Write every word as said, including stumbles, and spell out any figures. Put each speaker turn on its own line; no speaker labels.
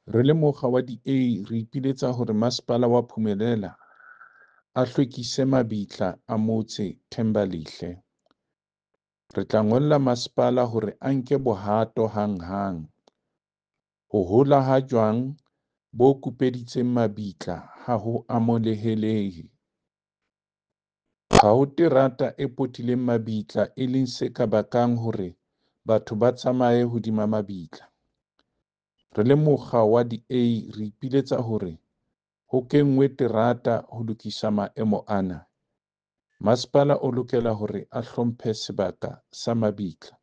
Re le mokga wa D A re ipiletsa hore masepala wa Phumelela a hlwekise mabitla a motse Thembalihle. Re tla ngolla masepala hore a nke bohato hanghang. Ho hola ha jwang bo kupeditseng mabitla ha ho amohelehe. Ha ho terata e potileng mabitla e leng se ka bakang hore batho ba tsamaye hodima mabitla. Re le mokga wa D A re ipiletsa hore ho kenngwe terata ho lokisa maemo ana. Masepala o lokela hore a hlomphe sebaka sa mabitla.